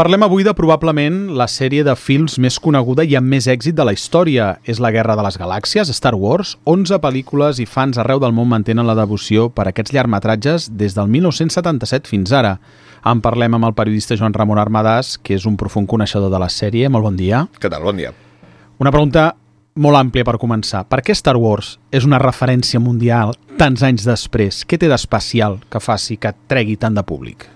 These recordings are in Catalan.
Parlem avui de probablement la sèrie de films més coneguda i amb més èxit de la història. És la Guerra de les Galàxies, Star Wars. 11 pel·lícules i fans arreu del món mantenen la devoció per aquests llargmetratges des del 1977 fins ara. En parlem amb el periodista Joan Ramon Armadàs, que és un profund coneixedor de la sèrie. Molt bon dia. Què tal? Bon dia. Una pregunta molt àmplia per començar. Per què Star Wars és una referència mundial tants anys després? Què té d'especial que faci que tregui tant de públic?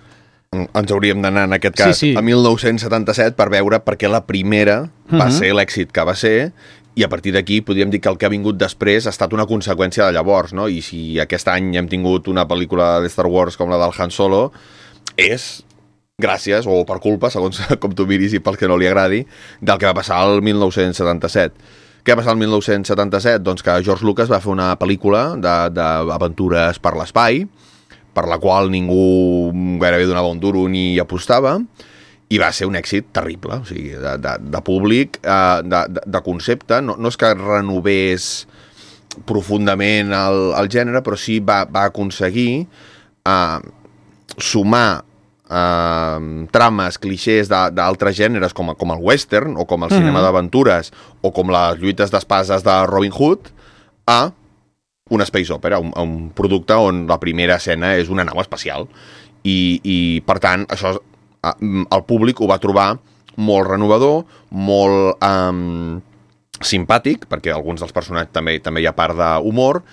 Ens hauríem d'anar, en aquest cas, a 1977 per veure per què la primera va ser l'èxit que va ser, i a partir d'aquí podríem dir que el que ha vingut després ha estat una conseqüència de llavors, no? I si aquest any hem tingut una pel·lícula de Star Wars com la del Han Solo, és gràcies, o per culpa, segons com tu miris i pel que no li agradi, del que va passar el 1977. Què va passar el 1977? Doncs que George Lucas va fer una pel·lícula d'aventures per l'espai, per la qual ningú gairebé donava un duro ni apostava, i va ser un èxit terrible, o sigui, de públic, de concepte. No és que renovés profundament el gènere, però sí va aconseguir sumar trames, clixés d'altres gèneres com el western o com el cinema d'aventures o com les lluites d'espases de Robin Hood a una space opera, un producte on la primera escena és una nau espacial i per tant això el públic ho va trobar molt renovador, molt simpàtic, perquè alguns dels personatges també hi ha part d'humor,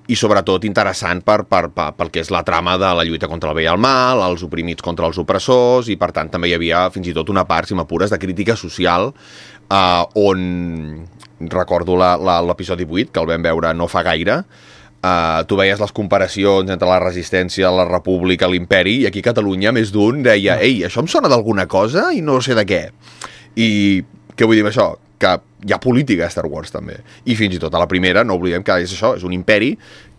i sobretot interessant pel que és la trama de la lluita contra el bé i el mal, els oprimits contra els opressors, i per tant també hi havia fins i tot una part, si m'apures, de crítica social, on recordo l'episodi 8, que el vam veure no fa gaire. Tu veies les comparacions entre la resistència, la república, l'imperi, i aquí a Catalunya més d'un deia «Ei, això em sona d'alguna cosa i no sé de què». I què vull dir amb això? Que hi ha política a Star Wars també, i fins i tot a la primera no oblidem que és això, és un imperi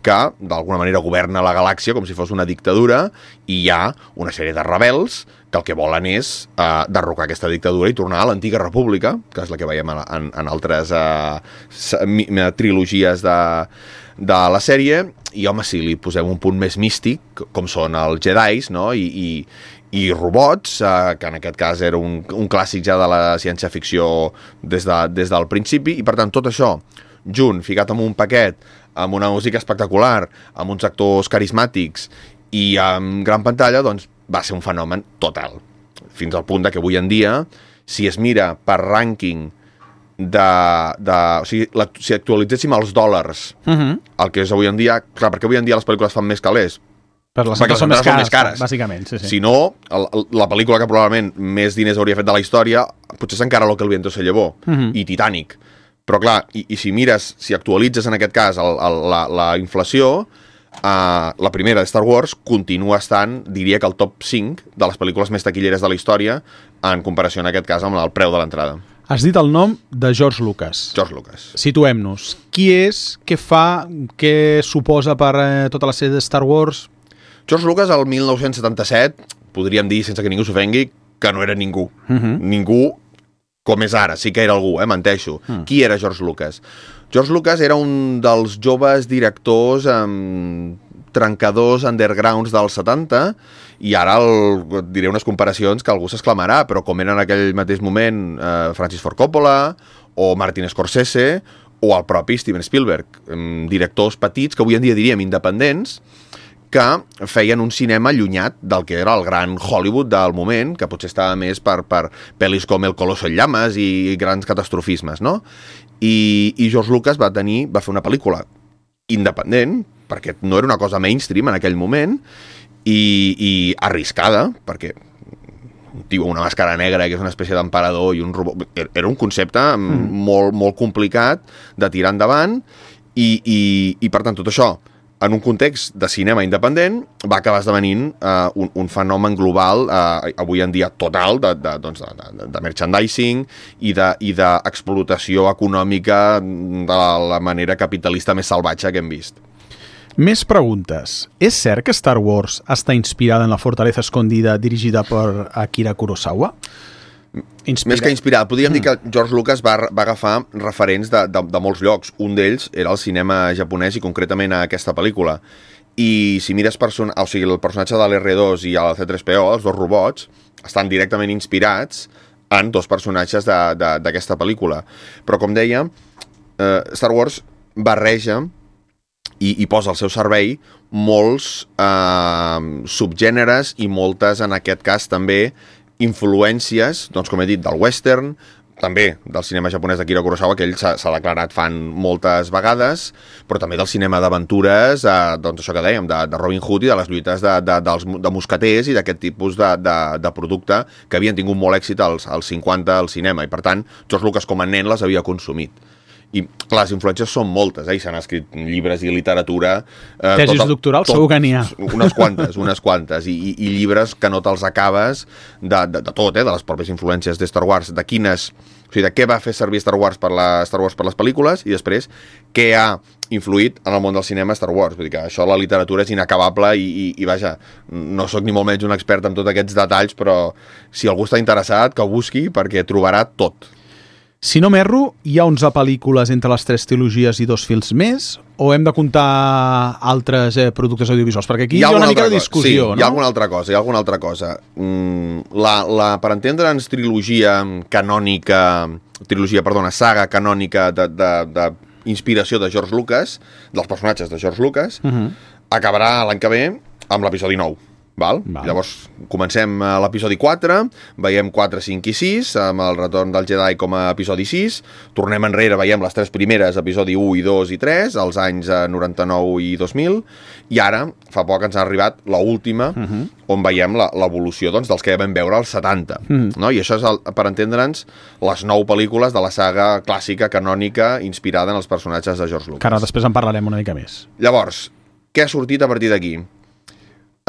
que d'alguna manera governa la galàxia com si fos una dictadura, i hi ha una sèrie de rebels que el que volen és derrocar aquesta dictadura i tornar a l'antiga república, que és la que veiem en altres trilogies de la sèrie. I home, si li posem un punt més místic, com són els Jedis, no? I robots, que en aquest cas era un clàssic ja de la ciència-ficció des del principi, i per tant tot això junt, ficat en un paquet, amb una música espectacular, amb uns actors carismàtics i amb gran pantalla, doncs va ser un fenomen total. Fins al punt que avui en dia, si es mira per rànquing o sigui, si actualitzéssim els dòlars, el que és avui en dia, clar, perquè avui en dia les pel·lícules fan més calés, perquè les són més cares, bàsicament. Sí. Si no, la pel·lícula que probablement més diners hauria fet de la història potser és encara Lo que el viento se llevó i Titanic. Però clar, i si mires, si actualitzes en aquest cas la inflació, la primera de Star Wars continua estant, diria que al top 5 de les pel·lícules més taquilleres de la història, en comparació en aquest cas amb el preu de l'entrada. Has dit el nom de George Lucas. George Lucas. Situem-nos. Qui és, què fa, què suposa per tota la sèrie de Star Wars? George Lucas, el 1977, podríem dir, sense que ningú s'ofengui, que no era ningú. Ningú com és ara, sí que era algú, menteixo. Qui era George Lucas? George Lucas era un dels joves directors trencadors undergrounds dels 70, i ara et diré unes comparacions que algú s'exclamarà, però com era en aquell mateix moment Francis Ford Coppola o Martin Scorsese o el propi Steven Spielberg, directors petits que avui en dia diríem independents, que feien un cinema allunyat del que era el gran Hollywood del moment, que potser estava més per pel·lis com El Coloso en llames i grans catastrofismes, no? I George Lucas va fer una pel·lícula independent, perquè no era una cosa mainstream en aquell moment, i arriscada, perquè un tio amb una màscara negra que és una espècie d'emperador i un robot, era un concepte molt, molt complicat de tirar endavant, i per tant tot això en un context de cinema independent va acabar esdevenint un fenomen global, avui en dia total, de merchandising i d'explotació econòmica de la manera capitalista més salvatge que hem vist. Més preguntes. És cert que Star Wars està inspirada en La fortaleza escondida, dirigida per Akira Kurosawa? Més que inspirat, podríem dir que George Lucas va agafar referents de molts llocs. Un d'ells era el cinema japonès i concretament a aquesta pel·lícula. I si mires el personatge de l'R2 i el C3PO, els dos robots, estan directament inspirats en dos personatges d'aquesta pel·lícula. Però, com deia, Star Wars barreja i posa al seu servei molts subgèneres i moltes, en aquest cas, també influències, doncs, com he dit, del western, també del cinema japonès d'Akira Kurosawa, que ell s'ha declarat fan moltes vegades, però també del cinema d'aventures, doncs això que dèiem, de Robin Hood i de les lluites de mosqueters i d'aquest tipus de producte que havien tingut molt èxit als 50 al cinema, i per tant, George Lucas com a nen les havia consumit. I, clar, les influències són moltes, i s'han escrit llibres i literatura... Tesis doctorals segur que n'hi ha. Unes quantes, i llibres que no te'ls acabes de tot, de les pròpies influències de Star Wars, de quines... O sigui, de què va fer servir Star Wars per les pel·lícules, i després què ha influït en el món del cinema Star Wars. Vull dir que això, la literatura és inacabable i vaja, no sóc ni molt menys un expert en tots aquests detalls, però si algú està interessat, que ho busqui, perquè trobarà tot. Si no m'erro, hi ha 11 pel·lícules entre les 3 trilogies i 2 films més, o hem de comptar altres productes audiovisuals? Perquè aquí hi ha una mica de discussió, no? Hi ha alguna altra cosa. Per entendre'ns saga canònica d'inspiració de George Lucas, dels personatges de George Lucas, acabarà l'any que ve amb l'episodi 9. Val? Llavors comencem a l'episodi 4, veiem 4, 5 i 6 amb el retorn del Jedi com a episodi 6, tornem enrere, veiem les 3 primeres, episodi 1 i 2 i 3, als anys 99 i 2000, i ara fa poc ens ha arribat l'última, on veiem l'evolució, doncs, dels que vam veure als 70, no? I això és, per entendre'ns, les 9 pel·lícules de la saga clàssica, canònica, inspirada en els personatges de George Lucas. Que ara després en parlarem una mica més. Llavors, què ha sortit a partir d'aquí?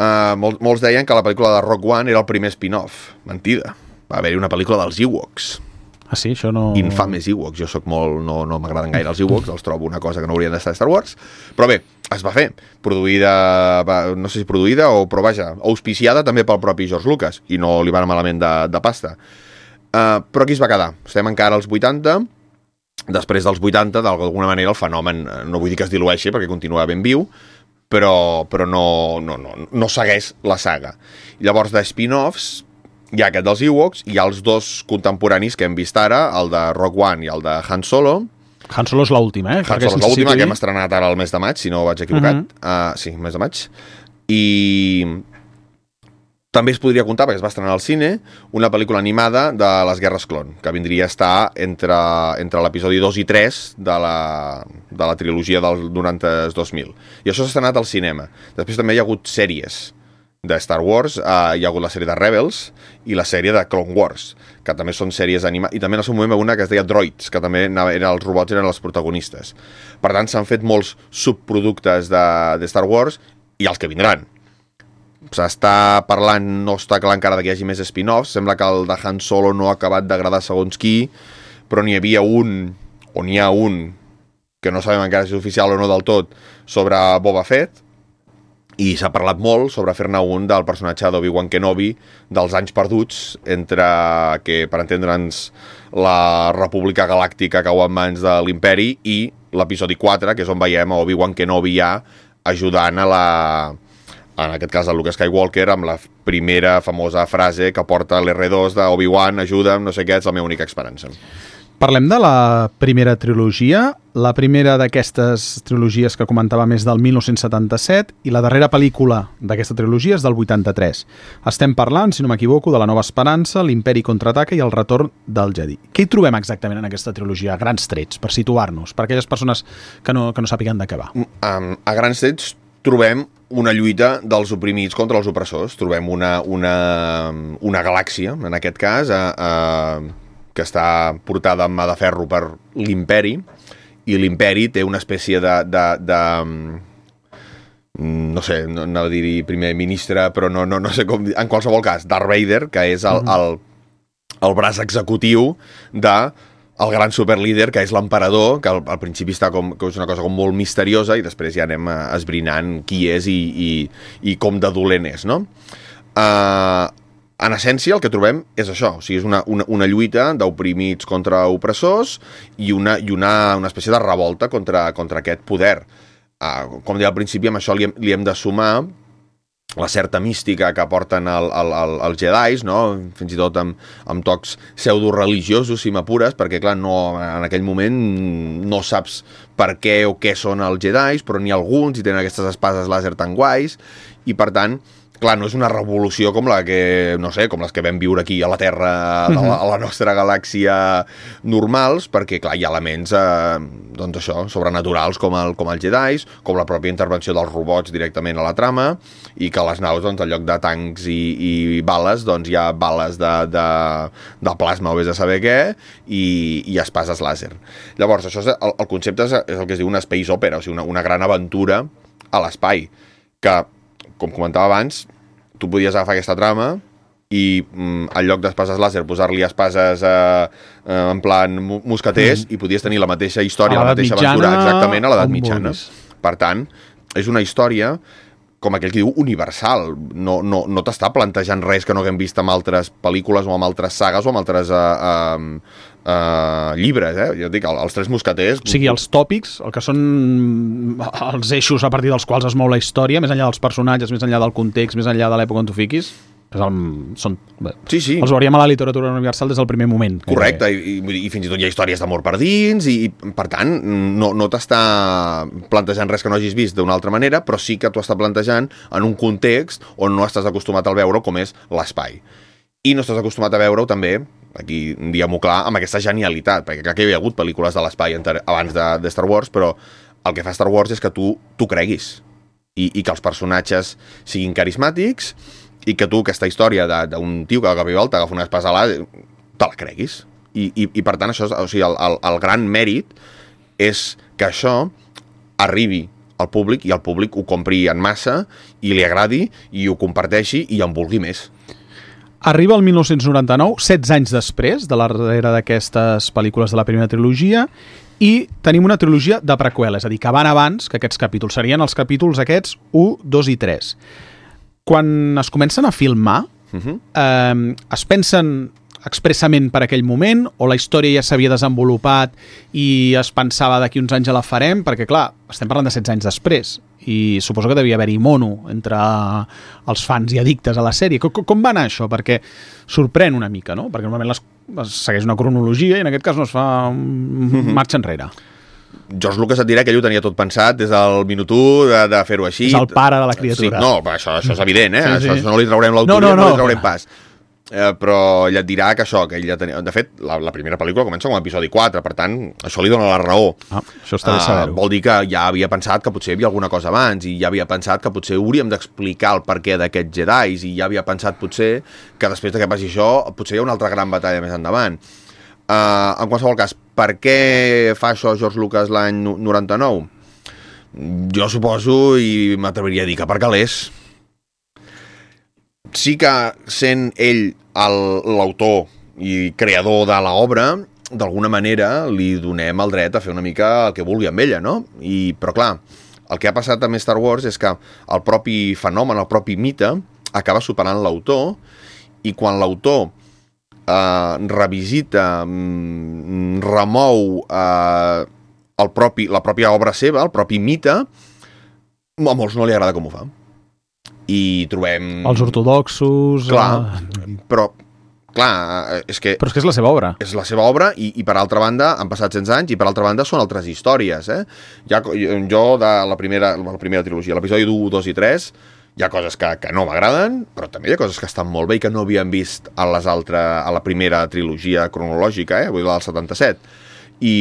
Molts deien que la pel·lícula de Rogue One era el primer spin-off. Mentida. Va haver-hi una pel·lícula dels Ewoks. Ah, sí? Això no... Infames Ewoks. Jo sóc molt... No m'agraden gaire els Ewoks, els trobo una cosa que no haurien d'estar a Star Wars. Però bé, es va fer. Produïda... No sé si produïda o... Però vaja, auspiciada també pel propi George Lucas. I no li va anar malament de pasta. Però aquí es va quedar. Estem encara als 80. Després dels 80, d'alguna manera, el fenomen... No vull dir que es dilueixi, perquè continua ben viu, però no segueix la saga. Llavors, de spin-offs, hi ha aquest dels Ewoks, hi ha els dos contemporanis que hem vist ara, el de Rogue One i el de Han Solo. Han Solo és l'última, Han Solo és l'última, que hem estrenat ara el mes de maig, si no vaig equivocat. Sí, mes de maig. I també es podria comptar, perquè es va estrenar al cine, una pel·lícula animada de les Guerres Clon, que vindria a estar entre l'episodi 2 i 3 de la trilogia del 90-2000. I això s'ha estrenat al cinema. Després també hi ha hagut sèries de Star Wars, hi ha hagut la sèrie de Rebels i la sèrie de Clone Wars, que també són sèries animades, i també en el seu moment una que es deia Droids, que també els robots eren els protagonistes. Per tant, s'han fet molts subproductes de Star Wars i els que vindran. S'està parlant, no està clar encara que hi hagi més spin-offs, sembla que el de Han Solo no ha acabat d'agradar segons qui, però n'hi havia un, o n'hi ha un, que no sabem encara si és oficial o no del tot, sobre Boba Fett, i s'ha parlat molt sobre fer-ne un del personatge d'Obi-Wan Kenobi dels anys perduts, entre que, per entendre'ns, la República Galàctica cau en mans de l'Imperi i l'episodi 4, que és on veiem a Obi-Wan Kenobi ja ajudant en aquest cas el Luke Skywalker, amb la primera famosa frase que porta l'R2 d'Obi-Wan, ajuda'm, no sé què, és la meva única esperança. Parlem de la primera trilogia. La primera d'aquestes trilogies que comentàvem és del 1977 i la darrera pel·lícula d'aquesta trilogia és del 83. Estem parlant, si no m'equivoco, de la Nova Esperança, l'Imperi contraataca i el retorn del Jedi. Què hi trobem exactament en aquesta trilogia, a grans trets, per situar-nos, per aquelles persones que no sàpiguen de què va? A grans trets trobem una lluita dels oprimits contra els opressors. Trobem una galàxia, en aquest cas, que està portada amb mà de ferro per l'Imperi, i l'Imperi té una espècie no sé, no anava a dir primer ministre, però no sé com dir, en qualsevol cas, Darth Vader, que és el braç executiu el gran superlíder, que és l'emperador, que al principi està que és una cosa com molt misteriosa, i després ja anem esbrinant qui és i com de dolent és, no? En essència, el que trobem és això, o sigui, és una lluita d'oprimits contra opressors i una espècie de revolta contra aquest poder. Com deia al principi, amb això li hem de sumar la certa mística que aporten els Jedis, no? Fins i tot amb tocs pseudo-religiosos, si m'apures, perquè, clar, no, en aquell moment no saps per què o què són els Jedis, però n'hi ha alguns i tenen aquestes espases làser tan guais, i, per tant, clar, no és una revolució com la que, no sé, com les que vam viure aquí a la Terra, a la nostra galàxia normals, perquè, clar, hi ha elements, doncs això, sobrenaturals com els Jedis, com la pròpia intervenció dels robots directament a la trama, i que a les naus, doncs, en lloc de tancs i bales, doncs hi ha bales de plasma o vés a saber què, i espases làser. Llavors, això el concepte és el que es diu una space opera, o sigui, una gran aventura a l'espai, que, com comentava abans, tu podies agafar aquesta trama i en lloc d'espases làser posar-li espases en plan mosqueters i podies tenir la mateixa història, la mateixa aventura exactament a l'edat mitjana. Per tant, és una història, com aquell que diu, universal. No t'està plantejant res que no haguem vist en altres pel·lícules o en altres sagues o en altres llibres, jo dic, els tres mosqueters... O sigui, els tòpics, el que són els eixos a partir dels quals es mou la història, més enllà dels personatges, més enllà del context, més enllà de l'època on tu fiquis, sí. Els veuríem a la literatura universal des del primer moment. Correcte, i fins i tot hi ha històries d'amor per dins, i per tant no t'està plantejant res que no hagis vist d'una altra manera, però sí que t'ho està plantejant en un context on no estàs acostumat a veure, com és l'espai. I no estàs acostumat a veure-ho també, aquí diguem-ho clar, amb aquesta genialitat, perquè clar que hi havia hagut pel·lícules de l'espai abans de Star Wars, però el que fa Star Wars és que tu creguis, i que els personatges siguin carismàtics, i que tu aquesta història d'un tio que de cop i volta agafa una espasa làser, te la creguis. I per tant, això, o sigui, el gran mèrit és que això arribi al públic i el públic ho compri en massa i li agradi i ho comparteixi i en vulgui més. Arriba el 1999, 16 anys després de la darrere d'aquestes pel·lícules de la primera trilogia, i tenim una trilogia de preqüela, és a dir, que van abans que aquests capítols. Serien els capítols aquests 1, 2 i 3. Quan es comencen a filmar, es pensen expressament per aquell moment, o la història ja s'havia desenvolupat i es pensava d'aquí uns anys ja la farem, perquè clar, estem parlant de 16 anys després, i suposo que devia haver-hi mono entre els fans i addictes a la sèrie. Com va anar això? Perquè sorprèn una mica, no? Perquè normalment es segueix una cronologia i en aquest cas no es fa marxa enrere. George Lucas et dirà que ell ho tenia tot pensat des del minut 1 de fer-ho així. És el pare de la criatura. Sí, no, això és evident, Sí. Això no li traurem l'autoria, no li traurem pas. Però ell et dirà que això, que ell ja tenia... De fet, la primera pel·lícula comença com a episodi 4, per tant, això li dona la raó. Això està bé saber-ho. Vol dir que ja havia pensat que potser hi havia alguna cosa abans, i ja havia pensat que potser hauríem d'explicar el perquè d'aquests Jedis, i ja havia pensat potser que després que passi això, potser hi ha una altra gran batalla més endavant. En qualsevol cas, per què fa això George Lucas l'any 99? Jo suposo, i m'atreviria a dir que per calés. Sí que sent ell l'autor i creador de l'obra, d'alguna manera li donem el dret a fer una mica el que vulgui amb ella, no? Però clar, el que ha passat amb Star Wars és que el propi fenomen, el propi mite, acaba superant l'autor, i quan l'autor revisita, remou la pròpia obra seva, el propi mite, a molts no li agrada com ho fa. I trobem... Els ortodoxos... Clar, però és que és la seva obra. És la seva obra i per altra banda han passat 100 anys i per altra banda són altres històries. Jo de la primera trilogia, l'episodi 1, 2 i 3, hi ha coses que no m'agraden, però també hi ha coses que estan molt bé i que no havíem vist a la primera trilogia cronològica, vull dir, del 77. I,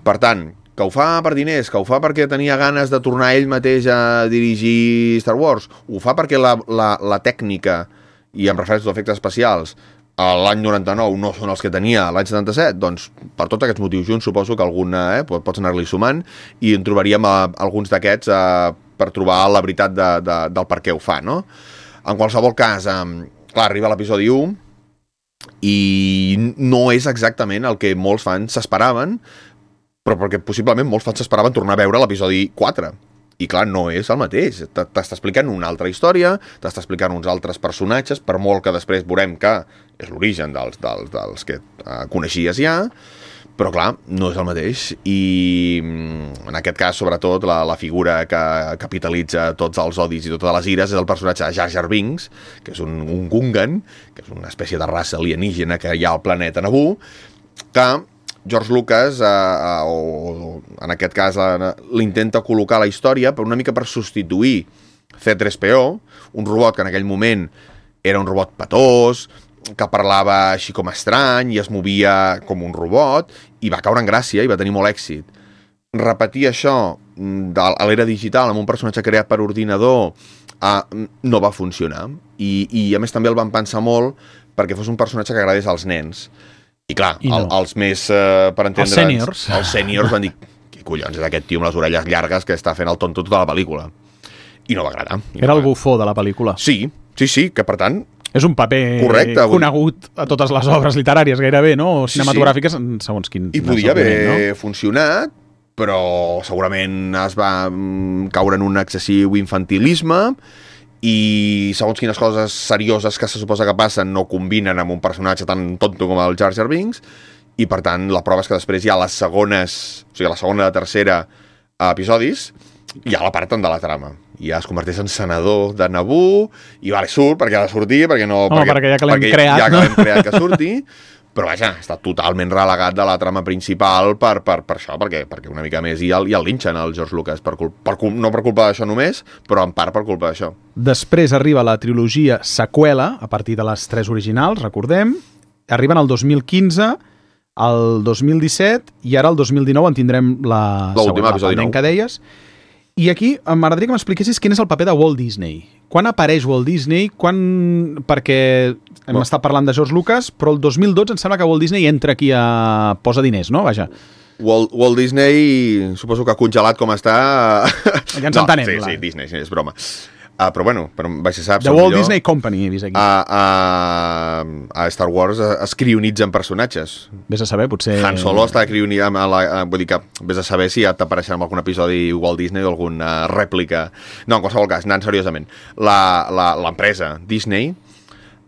per tant, que ho fa per diners, que ho fa perquè tenia ganes de tornar ell mateix a dirigir Star Wars, ho fa perquè la tècnica, i em refereixo als efectes especials, l'any 99 no són els que tenia l'any 77, doncs per tots aquests motius junts suposo que alguna pots anar-li sumant i en trobaríem alguns d'aquests per trobar la veritat del per què ho fa, no? En qualsevol cas, clar, arriba l'episodi 1 i no és exactament el que molts fans s'esperaven, però perquè possiblement molts fans s'esperaven tornar a veure l'episodi 4. I clar, no és el mateix. T'està explicant una altra història, t'està explicant uns altres personatges, per molt que després veurem que és l'origen dels que coneixies ja, però clar, no és el mateix, i en aquest cas, sobretot, la figura que capitalitza tots els odis i totes les ires és el personatge de Jar Jar Binks, que és un Gungan, que és una espècie de raça alienígena que hi ha al planeta Naboo, que George Lucas, o en aquest cas, l'intenta col·locar a la història una mica per substituir C-3PO, un robot que en aquell moment era un robot petós, que parlava així com estrany i es movia com un robot, i va caure en gràcia i va tenir molt èxit. Repetir això a l'era digital amb un personatge creat per ordinador no va funcionar, i a més també el van pensar molt perquè fos un personatge que agradés als nens. I clar, els més, per entendre'ns, els sèniors van dir, què collons és aquest tio amb les orelles llargues que està fent el tonto tota la pel·lícula? I no va agradar. Era el bufó de la pel·lícula. Sí, que per tant... És un paper conegut a totes les obres literàries gairebé, no? O cinematogràfiques, segons quin... I podia haver funcionat, però segurament es va caure en un excessiu infantilisme i segons quines coses serioses que se suposa que passen no combinen amb un personatge tan tonto com el Jar Jar Binks, i per tant la prova és que després hi ha les segones, o sigui, la segona i la tercera episodis, ja l'aparten de la trama. Ja es converteix en senador de Naboo i surt perquè ha de sortir, perquè ja que l'hem creat, ja que l'hem creat que surti, però vaja, està totalment relegat de la trama principal per això, perquè una mica més i el linxen el George Lucas, no per culpa d'això només, però en part per culpa d'això. Després arriba la trilogia seqüela, a partir de les 3 originals, recordem, arriben el 2015, el 2017, i ara el 2019 en tindrem la següent, la que deies. I aquí m'agradaria que m'expliquessis quin és el paper de Walt Disney. Quan apareix Walt Disney? Perquè hem estat parlant de George Lucas, però el 2012 em sembla que Walt Disney entra aquí a posa diners, no? Vaja. Walt Disney, suposo que congelat com està... Ja ens entenem. Sí, Disney, és broma. Però bueno, vaig ser saps... The Walt Disney Company, he vist aquí. A Star Wars es crionitzen personatges. Vés a saber, potser... Han Solo està crionitzat, vull dir que vés a saber si ja t'apareixerà en algun episodi Walt Disney o alguna rèplica. No, en qualsevol cas, anant seriosament. L'empresa Disney,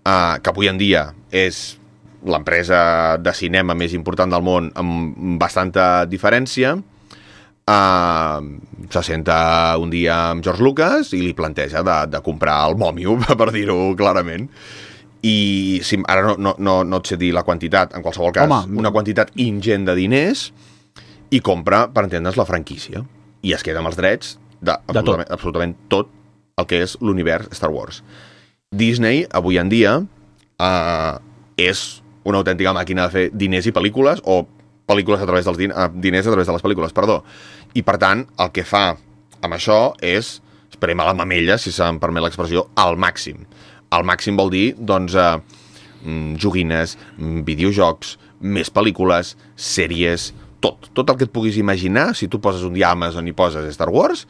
que avui en dia és l'empresa de cinema més important del món amb bastanta diferència, se senta un dia amb George Lucas i li planteja de comprar el mòmio, per dir-ho clarament, i ara no et sé dir la quantitat, en qualsevol cas, una quantitat ingent de diners, i compra, per entendre's, la franquícia, i es queda amb els drets absolutament tot el que és l'univers Star Wars. Disney, avui en dia, és una autèntica màquina de fer diners i pel·lícules, o pel·lícules a través dels diners a través de les pel·lícules, perdó. I per tant, el que fa amb això és premar la mamella, si se'm permet l'expressió, al màxim. Al màxim vol dir, doncs, joguines, videojocs, més pel·lícules, sèries, tot el que et puguis imaginar. Si tu poses un dia a Amazon i poses Star Wars,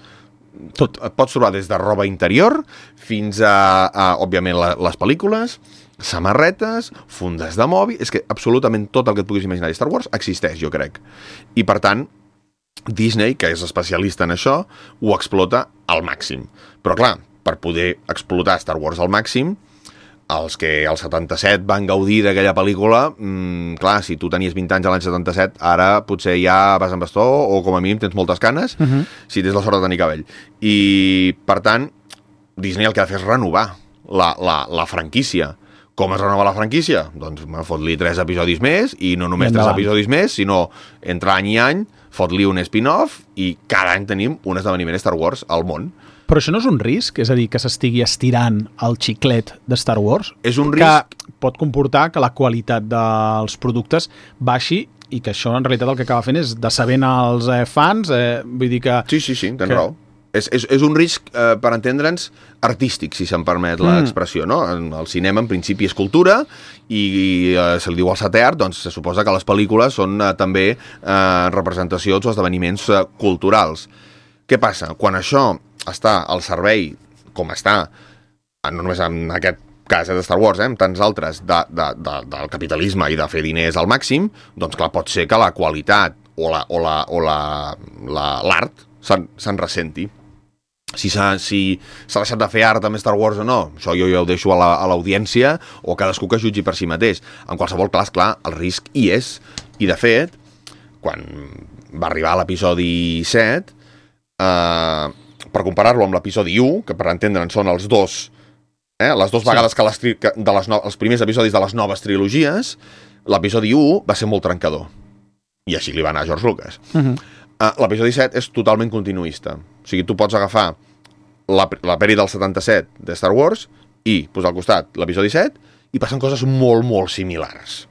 tot. Et pots trobar des de roba interior fins a òbviament, les pel·lícules, samarretes, fundes de mòbil... És que absolutament tot el que et puguis imaginar de Star Wars existeix, jo crec. I, per tant, Disney, que és especialista en això, ho explota al màxim. Però, clar, per poder explotar Star Wars al màxim, els que al 77 van gaudir d'aquella pel·lícula, clar, si tu tenies 20 anys a l'any 77, ara potser ja vas amb bastó o com a mínim tens moltes canes, si tens la sort de tenir cabell. I, per tant, Disney el que ha de fer és renovar la franquícia. Com es renova la franquícia? Doncs fot-li 3 episodis més, i no només 3 episodis més, sinó entre any i any, fot-li un spin-off, i cada any tenim un esdeveniment Star Wars al món. Però això no és un risc? És a dir, que s'estigui estirant el xiclet de Star Wars? És un risc... Que pot comportar que la qualitat dels productes baixi i que això en realitat el que acaba fent és decebent als fans, vull dir que... Sí, tens raó. És un risc, per entendre'ns, artístic, si se'm permet l'expressió, no? El cinema, en principi, és cultura i se li diu al setè art, doncs se suposa que les pel·lícules són també representacions o esdeveniments culturals. Què passa? Quan això està al servei, com està, no només en aquest cas de Star Wars, en tants altres, del capitalisme i de fer diners al màxim, doncs clar, pot ser que la qualitat o l'art se'n ressenti. Si s'ha deixat de fer art amb Star Wars o no, això jo ho deixo a l'audiència o cadascú que jutgi per si mateix. En qualsevol cas, clar, el risc hi és. I, de fet, quan va arribar a l'episodi 7, per comparar-lo amb l'episodi 1, que per entendre'n són els dos, les dues vegades que els primers episodis de les noves trilogies, l'episodi 1 va ser molt trencador. I així li va anar a George Lucas. L'episodi 7 és totalment continuista. O sigui, tu pots agafar la peli del 77 de Star Wars i posar al costat l'episodi 7 i passen coses molt, molt similars.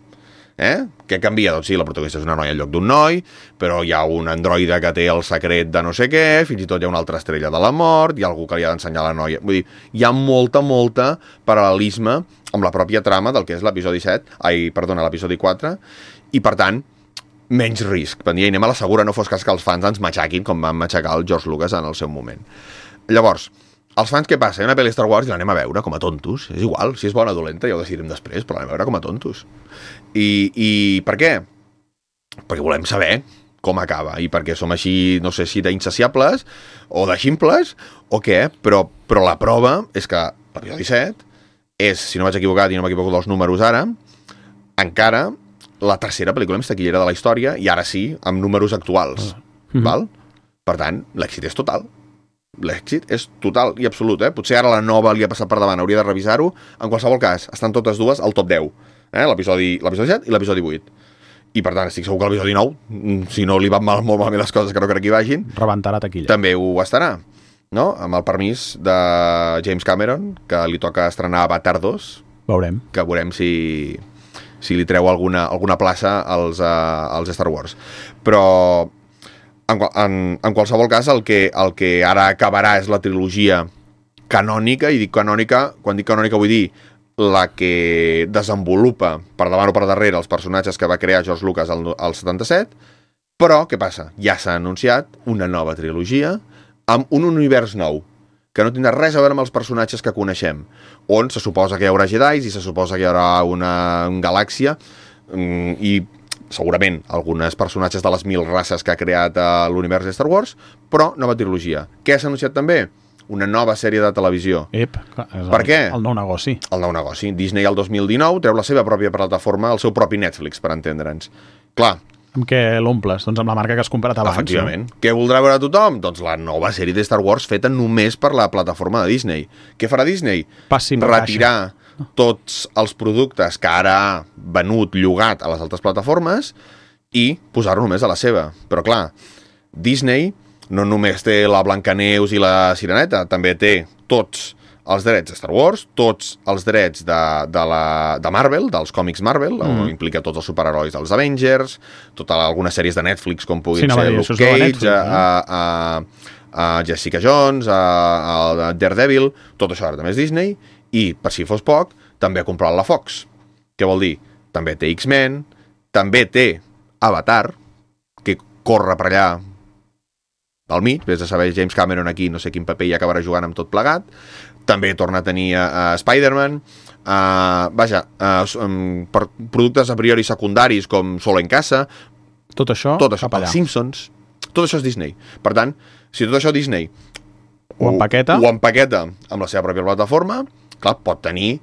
Què canvia? Doncs sí, la protagonista és una noia en lloc d'un noi, però hi ha un androide que té el secret de no sé què, fins i tot hi ha una altra estrella de la mort, hi ha algú que li ha d'ensenyar a la noia. Vull dir, hi ha molta paral·lelisme amb la pròpia trama del que és l'episodi 4, i per tant, menys risc. Per dir, anem a la segura, no fos cas que els fans ens matxaquin com van matxacar el George Lucas en el seu moment. Llavors, els fans què passa? Hi ha una pel·li Star Wars i l'anem a veure com a tontos. És igual, si és bona o dolenta ja ho decidirem després, però l'anem a veure com a tontos. I per què? Perquè volem saber com acaba i perquè som així, no sé si d'insaciables o de ximples o què, però la prova és que l'episodi 7 és, si no vaig equivocat i no m'equivoco dels números ara, encara la tercera pel·lícula més taquillera de la història i ara sí, amb números actuals. Val? Per tant, l'èxit és total. L'èxit és total i absolut. Potser ara la nova li ha passat per davant, hauria de revisar-ho. En qualsevol cas, estan totes dues al top 10. L'episodi 7 i l'episodi 8. I per tant, estic segur que l'episodi 9, si no li van molt malament les coses que no crec que hi vagin, rebentarà taquilla. També ho estarà. No? Amb el permís de James Cameron, que li toca estrenar Avatar 2. Veurem. Que veurem si li treu alguna plaça als Star Wars. Però en qualsevol cas el que ara acabarà és la trilogia canònica, i dic canònica, quan dic canònica vull dir la que desenvolupa per davant o per darrere els personatges que va crear George Lucas al 77, però què passa? Ja s'ha anunciat una nova trilogia amb un univers nou, que no tindrà res a veure amb els personatges que coneixem, on se suposa que hi haurà Jedis i se suposa que hi haurà una galàxia i segurament alguns personatges de les 1000 races que ha creat l'univers de Star Wars, però nova trilogia. Què s'ha anunciat també? Una nova sèrie de televisió. Per què? El nou negoci. El nou negoci. Disney el 2019 treu la seva pròpia plataforma, el seu propi Netflix, per entendre'ns. Clar, amb què l'omples? Doncs amb la marca que has comprat abans. Efectivament. Què voldrà veure tothom? Doncs la nova sèrie de Star Wars feta només per la plataforma de Disney. Què farà Disney? Retirar tots els productes que ara ha venut, llogat a les altres plataformes i posar-ho només a la seva. Però clar, Disney no només té la Blancaneus i la Sireneta, també té tots els drets de Star Wars, tots els drets de Marvel, dels còmics Marvel, on implica tots els superherois dels Avengers, algunes sèries de Netflix, com puguin ser Luke Cage, Jessica Jones, Daredevil, tot això ara també és Disney, i, per si fos poc, també ha comprat la Fox. Què vol dir? També té X-Men, també té Avatar, que corre per allà al mig, vés a saber James Cameron aquí, no sé quin paper hi acabarà jugant amb tot plegat, també torna a tenir Spider-Man, per productes a priori secundaris com Solo en Casa, tot això els Simpsons, tot això és Disney. Per tant, si tot això Disney ho empaqueta amb la seva pròpia plataforma, clar, pot tenir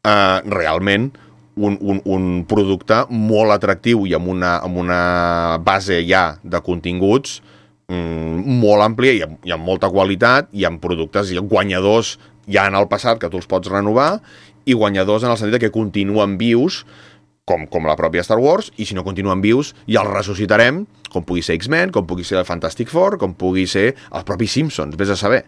realment un producte molt atractiu i amb una base ja de continguts molt àmplia i amb molta qualitat i amb productes guanyadors ja en el passat que tu els pots renovar i guanyadors en el sentit que continuen vius com la pròpia Star Wars, i si no continuen vius ja els ressuscitarem, com pugui ser X-Men, com pugui ser el Fantastic Four, com pugui ser els propis Simpsons, vés a saber.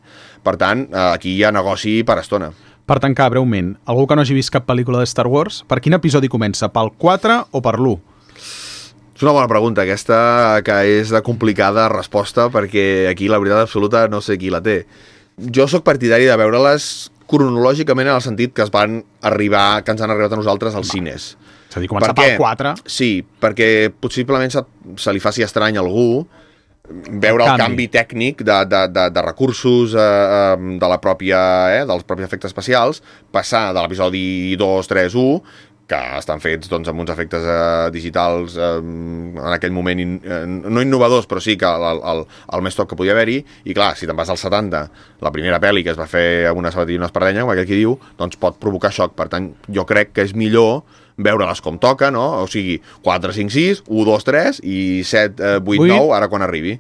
Per tant, aquí hi ha negoci per estona. Per tancar breument, algú que no hagi vist cap pel·lícula de Star Wars, per quin episodi comença? Pel 4 o per l'1? És una bona pregunta, aquesta, que és de complicada resposta, perquè aquí la veritat absoluta no sé qui la té. Jo sóc partidari de veure-les cronològicament en el sentit que ens han arribat a nosaltres als cines. És a dir, començar pel 4. Sí, perquè possiblement se li faci estrany a algú veure el canvi tècnic de recursos de la pròpia, dels propis efectes especials, passar de l'episodi 2, 3, 1, que estan fets amb uns efectes digitals en aquell moment no innovadors, però sí que el més top que podia haver-hi, i clar, si te'n vas als 70, la primera pel·li que es va fer amb una sabatilla i una espardenya, com aquell qui diu, doncs pot provocar xoc. Per tant, jo crec que és millor veure-les com toca, no? O sigui, 4, 5, 6, 1, 2, 3 i 7, 8, 9, ara quan arribi.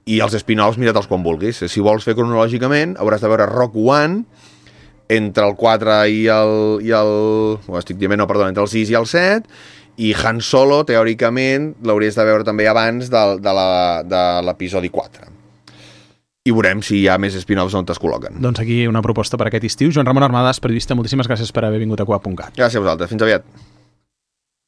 I els spin-offs, mira-te'ls quan vulguis. Si vols fer cronològicament, hauràs de veure Rogue One entre el 4 i el... estic dient, no, perdó, entre el 6 i el 7, i Han Solo, teòricament, l'hauries de veure també abans de l'episodi 4. I veurem si hi ha més spin-offs on es col·loquen. Doncs aquí una proposta per aquest estiu. Joan Ramon Armadas, periodista, moltíssimes gràcies per haver vingut a Coa.cat. Gràcies a vosaltres. Fins aviat.